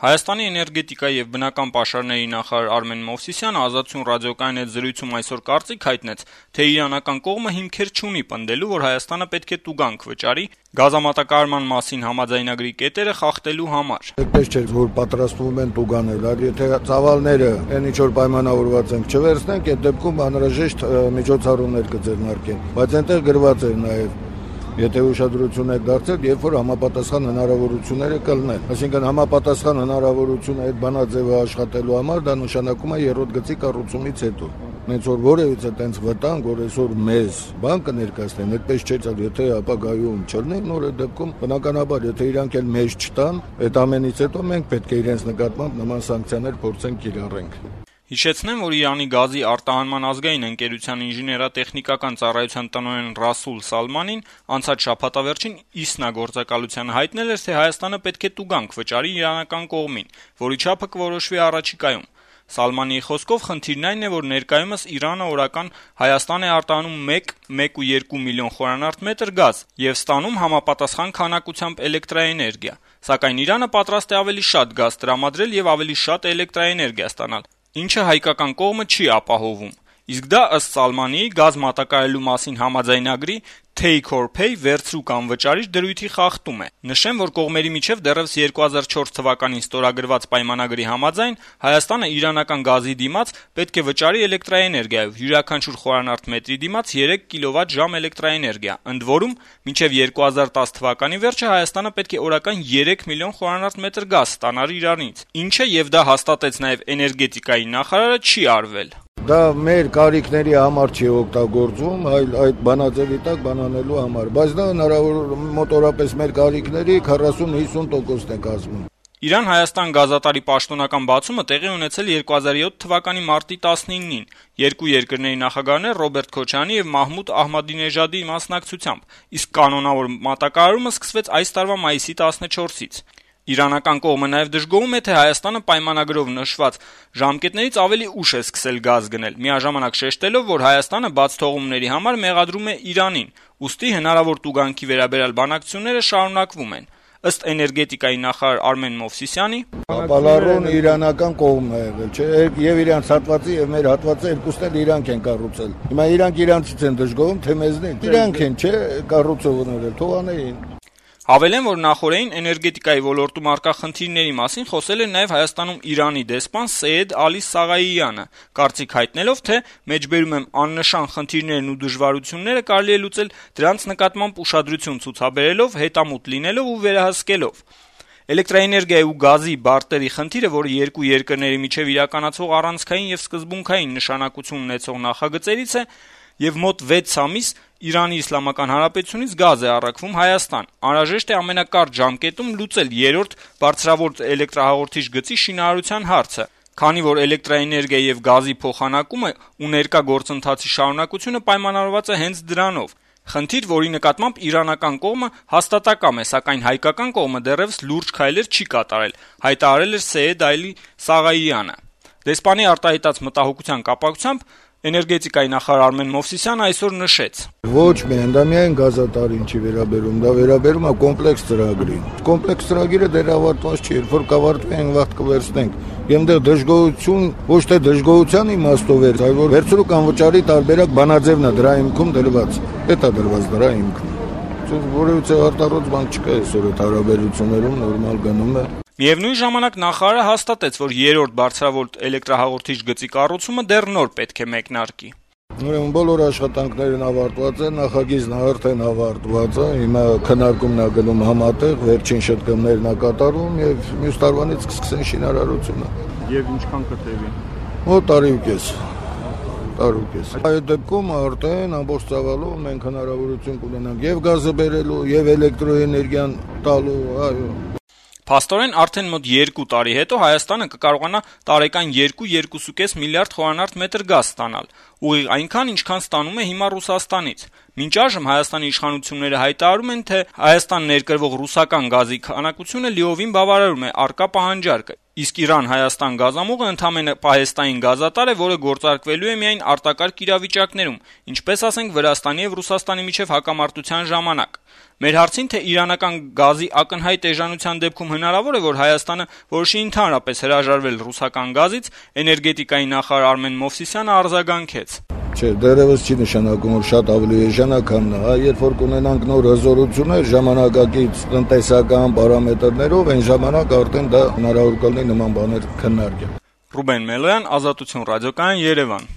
Հայաստանի էներգետիկայի եւ բնական պաշարների նախարար Արմեն Մովսիսյանը Ազատություն ռադիոկայանի հետ զրույցում այսօր կարծիք հայտնեց, թե իրանական կողմը հիմքեր չունի պնդելու, որ Հայաստանը պետք է տուգանք վճարի գազամատակարարման մասին համաձայնագրի կետերը խախտելու համար։ Այդպես չէ, որ պատրաստվում են տուգանել, այլ եթե ծավալները այն ինչ որ պայմանավորված են չվերցնենք, այդ դեպքում անհրաժեշտ միջոցառումներ կձեռնարկեն, բայց այնտեղ գրված է նաեւ եթե ուշադրություն եք դարձել, երբ որ համապատասխան հնարավորությունները կլինեն։ Այսինքն համապատասխան հնարավորությունը այդ բանաձևը աշխատելու համար դա նշանակում է երրորդ գծի կառուցումից հետո։ Մենք որ որևիցե տենց վտանգ, որ այսօր մեզ բան կներկայացնեն, այդպես չէ, եթե ապագայում չլինի, նոր այդ դեպքում բնականաբար, եթե իրանք էլ մեզ չտան, այդ ամենից հետո մենք պետք է իրենց նկատմամբ նման սանկցիաներ փորձենք կիրառենք։ Հիշեցնեմ, որ Իրանի գազի արտահանման ազգային ընկերության ինժեներատեխնիկական ծառայության տնօրեն Ռասուլ Սալմանին անցած շաբաթավերջին ԻՍՆԱ գործակալությանը հայտնել էր, թե Հայաստանը պետք է տուգանք վճարի իրանական կողմին, որի չափը կորոշվի առաջիկայում։ Սալմանիի խոսքով խնդիրն այն է, որ ներկայումս Իրանը օրական Հայաստան է արտահանում 1.2 միլիոն խորանարդ մետր գազ եւ ստանում համապատասխան քանակությամբ էլեկտրաէներգիա, սակայն Իրանը պատրաստ է ավելի շատ գազ տրամադրել եւ ավելի շատ էլեկտրաէներգիա ստանալ, ինչը հայկական կողմը չի ապահովում։ Իսկ դա ըստ Սալմանիի գազ մատակարարելու մասին համաձայնագրի take or pay վերցրու կամ վճարիչ դրույթի խախտում է։ Նշեմ, որ կողմերի միջև դեռևս 2004 թվականին ստորագրված պայմանագրի համաձայն Հայաստանը իրանական գազի դիմաց պետք է վճարի էլեկտրաէներգիայով յուրաքանչյուր խորանարդ մետրի դիմաց 3 կիլովատ-ժամ էլեկտրաէներգիա։ Ընդ որում, մինչև 2010 թվականի վերջը Հայաստանը պետք է օրական 3 միլիոն խորանարդ մետր գազ ստանար Իրանից, ինչը եւ դա հաստատեց նաեւ էներգետիկայի նախարարը չի արվել։ Դա մեր կարիքների համար չի օգտագործվում, այլ այդ բանաձևի տակ բանանելու համար, բայց դա հնարավոր մոտորապես մեր կարիքների 40-50%-ն է կազմում։ Իրան-Հայաստան գազատարի պաշտոնական բացումը տեղի ունեցել 2007 թվականի մարտի 19-ին, երկու երկրների նախագահներ Ռոբերտ Քոչարյանի եւ Մահմուդ Ահմադինեժադի մասնակցությամբ, իսկ կանոնավոր մատակարարումը սկսվեց այս տարվա մայիսի 14-ից։ Իրանական կողմը նաև դժգոհում է, թե Հայաստանը պայմանագրով նշված ժամկետներից ավելի ուշ է սկսել գազ գնել, միաժամանակ շեշտելով, որ Հայաստանը բաց թողումների համար մեղադրում է Իրանին, ուստի հնարավոր տուգանքի վերաբերյալ բանակցությունները շարունակվում են։ Ըստ էներգետիկայի նախարար Արմեն Մովսիսյանի, ապալառուն իրանական կողմն է եղել, չէ, եւ իրանց հատվածի եւ մեր հատվածը երկուսն էլ իրանք են կառուցել։ Հիմա իրանք իրանցից են դժգոհում, թե մեզնից։ Իրանք են, չէ, կառուցողները, թողանեին։ Հավելեն, որ նախորդին էներգետիկայի ոլորտում առկա խնդիրների մասին խոսել է նաև Հայաստանում Իրանի դեսպան Սեյեդ Ալի Սաղայիյանը, կարծիք հայտնելով, թե մեջբերում եմ աննշան խնդիրներն ու դժվարությունները կարելի է լուծել դրանց նկատմամբ ուշադրություն ցուցաբերելով, հետամուտ լինելով ու վերահսկելով։ Էլեկտրաէներգիայի ու գազի բարտերի խնդիրը, որը երկու երկրների միջև իրականացող առանցքային եւ սկզբունքային նշանակություն ունեցող նախագծերից է, եւ մոտ 6 ամիս Իրանի Իսլամական Հանրապետությունից գազ է առաքվում Հայաստան։ Անհրաժեշտ է ամենակարճ ժամկետում լուծել երրորդ բարձրավոր էլեկտրահաղորդիչ գծի շինարարության հարցը, քանի որ էլեկտրաէներգիայի եւ գազի փոխանակումը ու ներկա գործընթացի շարունակությունը պայմանավորված է հենց դրանով։ Խնդիր, որի նկատմամբ իրանական կողմը հաստատակամ է, սակայն հայկական կողմը դեռևս լուրջ քայլեր չի կատարել, հայտարարել էր Սեյեդ Ալի Սաղայիյանը։ Դեսպանի արտահայտած մտահոգության կապակցությամբ էներգետիկայի նախարար Արմեն Մովսիսյանը այսօր նշեց. Ոչ միայն դա միայն գազատարին չի վերաբերում, դա վերաբերում է կոմպլեքս ծրագրին։ Կոմպլեքս ծրագիրը դեռ ավարտված չի, երբ որ կավարտվի այն վաղ կվերցնենք։ Ենդեղ դժգոհություն, ոչ թե դժգոհության իմաստով էր, այլ որ վերցրու կամ վճարի տարբերակ բանաձևն է դրա հիմքում դրված։ Դա դրված դրա հիմքում։ Որևիցե արտառոց բան չկա այսօր այդ հարաբերություններում նորմալ գնում է։ Միևնույն ժամանակ նախարարը հաստատեց, որ երրորդ բարձրավոր էլեկտրահաղորդիչ գծի կառուցումը դեռ նոր պետք է մեկնարկի։ Ուրեմն բոլոր աշխատանքներն ավարտված են, նախագիծն արդեն ավարտված է, հիմա քննարկումն է գնում համատեղ, վերջին շտկումներն է կատարում եւ մյուս տարվանից կսկսեն շինարարությունը։ Եվ ինչքան կտևի։ Մոտ տարի ու կես։ Այդ դեպքում արդեն ամբողջ ծավալով մենք հնարավորություն կունենանք եւ գազը բերելու, եւ էլեկտրոէներգիան տալու, այո։ Փաստորեն արդեն մոտ 2 տարի հետո Հայաստանը կկարողանա տարեկան 2-2.5 միլիարդ խորանարդ մետր գազ ստանալ։ ուղիղ այնքան, ինչքան ստանում է հիմա Ռուսաստանից։ Մինչ այժմ Հայաստանի իշխանությունները հայտարարում են, թե Հայաստան ներկրվող ռուսական գազի քանակությունը լիովին բավարարում է առկա պահանջարկը, իսկ Իրան-Հայաստան գազամուղը ընդամենը պահեստային գազատար է, որը գործարկվելու է միայն արտակարգ իրավիճակներում, ինչպես ասենք Վրաստանի եւ Ռուսաստանի միջև հակամարտության ժամանակ։ Մեր հարցին, թե իրանական գազի ակնհայտ էժանության դեպքում հնարավոր է, որ Հայաստանը որոշի ընդհանրապես հրաժարվել ռուսական գազից, էներգետիկայի նախարար Արմեն Մովսիսյանը արձագանքեց. Չէ, դեռևս չի նշանակում, որ շատ ավելի էժանական է, երբ որ կունենանք նոր հզորություններ ժամանակակից տնտեսական պարամետրներով, այն ժամանակ արդեն դա հնարավոր կլինի նման բաներ քննարկել։ Ռուբեն Մելոյան, Ազատություն ռադիոկայան, Երևան։